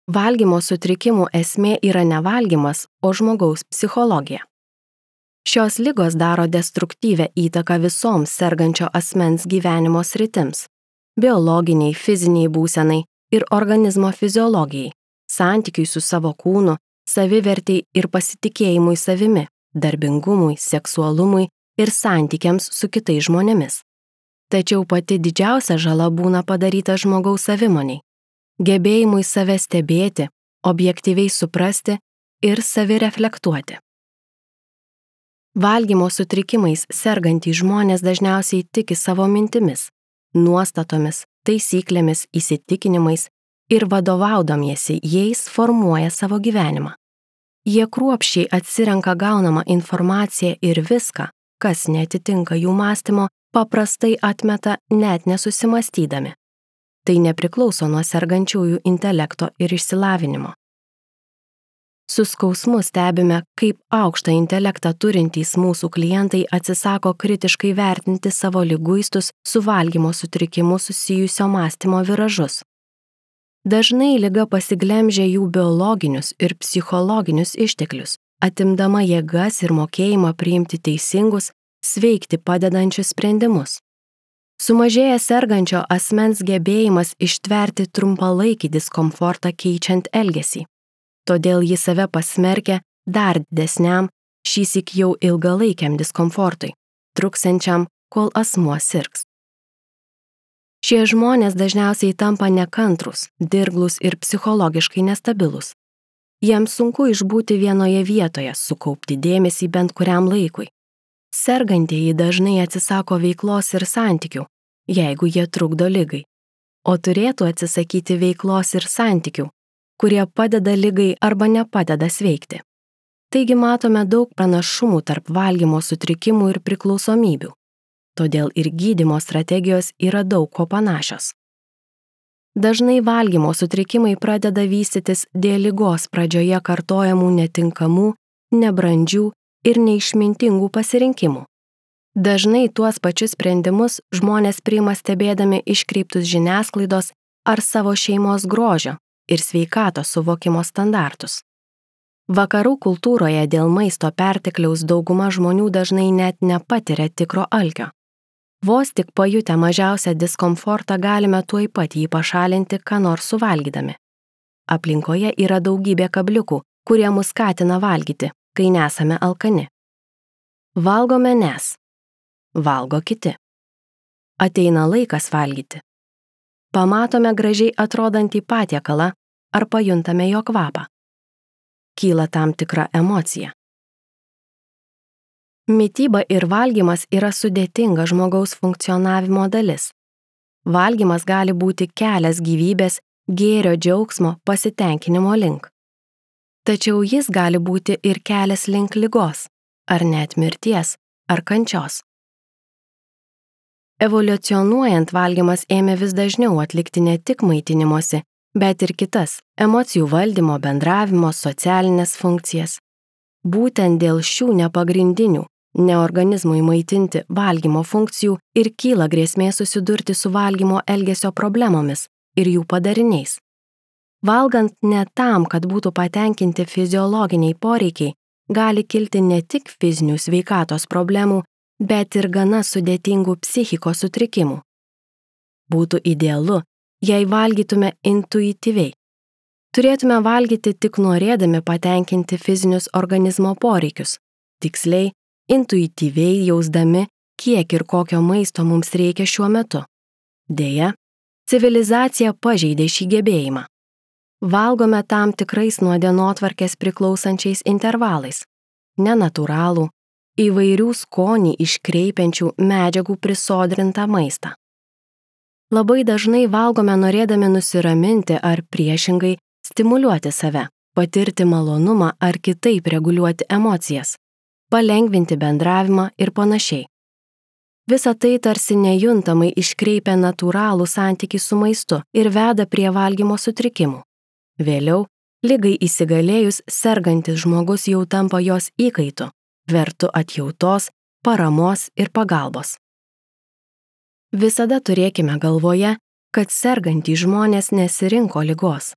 Valgymo sutrikimų esmė yra ne valgymas, o žmogaus psichologija. Šios ligos daro destruktyvę įtaką visoms sergančio asmens gyvenimo sritims – biologiniai, fiziniai būsenai ir organizmo fiziologijai, santykiui su savo kūnu, savivertei ir pasitikėjimui savimi, darbingumui, seksualumui ir santykiams su kitais žmonėmis. Tačiau pati didžiausia žala būna padaryta žmogaus savimoniai, gebėjimui save stebėti, objektyviai suprasti ir savireflektuoti. Valgymo sutrikimais sergantys žmonės dažniausiai tiki savo mintimis, nuostatomis, taisyklėmis, įsitikinimais ir vadovaudamiesi jais formuoja savo gyvenimą. Jie kruopščiai atsirenka gaunamą informaciją ir viską, kas neatitinka jų mąstymo, paprastai atmeta net nesusimąstydami. Tai nepriklauso nuo sergančiųjų intelekto ir išsilavinimo. Su skausmu stebime, kaip aukštą intelektą turintys mūsų klientai atsisako kritiškai vertinti savo liguistus su valgymo sutrikimu susijusio mąstymo viražus. Dažnai liga pasiglemžia jų biologinius ir psichologinius išteklius, atimdama jėgas ir mokėjimą priimti teisingus, sveikti padedančius sprendimus. Sumažėja sergančio asmens gebėjimas ištverti trumpalaikį diskomfortą keičiant elgesį. Todėl jis save pasmerkia dar didesniam, šįsyk jau ilgalaikiam diskomfortui, truksiančiam, kol asmuo sirgs. Šie žmonės dažniausiai tampa nekantrūs, dirglūs ir psichologiškai nestabilūs. Jiems sunku išbūti vienoje vietoje, sukaupti dėmesį bent kuriam laikui. Sergantieji dažnai atsisako veiklos ir santykių, jeigu jie trukdo ligai, o turėtų atsisakyti veiklos ir santykių, kurie padeda ligai arba nepadeda sveikti. Taigi matome daug pranašumų tarp valgymo sutrikimų ir priklausomybių. Todėl ir gydymo strategijos yra daug ko panašios. Dažnai valgymo sutrikimai pradeda vystytis dėl ligos pradžioje kartojamų netinkamų, nebrandžių ir neišmintingų pasirinkimų. Dažnai tuos pačius sprendimus žmonės priima stebėdami iškreiptus žiniasklaidos ar savo šeimos grožio ir sveikatos suvokimo standartus. Vakarų kultūroje dėl maisto pertekliaus dauguma žmonių dažnai net nepatiria tikro alkio. Vos tik pajutę mažiausią diskomfortą galime tuoj pat jį pašalinti, ką nors suvalgydami. Aplinkoje yra daugybė kabliukų, kurie mus skatina valgyti, kai nesame alkani. Valgome nes. Valgo kiti. Ateina laikas valgyti. Pamatome gražiai atrodantį patiekalą ar pajuntame jo kvapą. Kyla tam tikra emocija. Mityba ir valgymas yra sudėtinga žmogaus funkcionavimo dalis. Valgymas gali būti kelias gyvybės, gėrio džiaugsmo, pasitenkinimo link. Tačiau jis gali būti ir kelias link ligos, ar net mirties, ar kančios. Evoliucionuojant valgymas ėmė vis dažniau atlikti ne tik maitinimosi, bet ir kitas – emocijų valdymo, bendravimo, socialinės funkcijas. Būtent dėl šių nepagrindinių, ne organizmui maitinti valgymo funkcijų ir kyla grėsmė susidurti su valgymo elgesio problemomis ir jų padariniais. Valgant ne tam, kad būtų patenkinti fiziologiniai poreikiai, gali kilti ne tik fizinių sveikatos problemų, bet ir gana sudėtingų psichikos sutrikimų. Būtų idealu, jei valgytume intuityviai. Turėtume valgyti tik norėdami patenkinti fizinius organizmo poreikius, tiksliai, intuityviai jausdami, kiek ir kokio maisto mums reikia šiuo metu. Deja, civilizacija pažeidė šį gebėjimą. Valgome tam tikrais nuo dienotvarkės priklausančiais intervalais, nenatūralų, įvairių skonį iškreipiančių medžiagų prisodrintą maistą. Labai dažnai valgome norėdami nusiraminti ar priešingai stimuliuoti save, patirti malonumą ar kitaip reguliuoti emocijas, palengvinti bendravimą ir panašiai. Visa tai tarsi nejuntamai iškreipia natūralų santykį su maistu ir veda prie valgymo sutrikimų. Vėliau, ligai įsigalėjus, sergantis žmogus jau tampa jos įkaitu, vertu atjautos, paramos ir pagalbos. Visada turėkime galvoje, kad sergantys žmonės nesirinko ligos.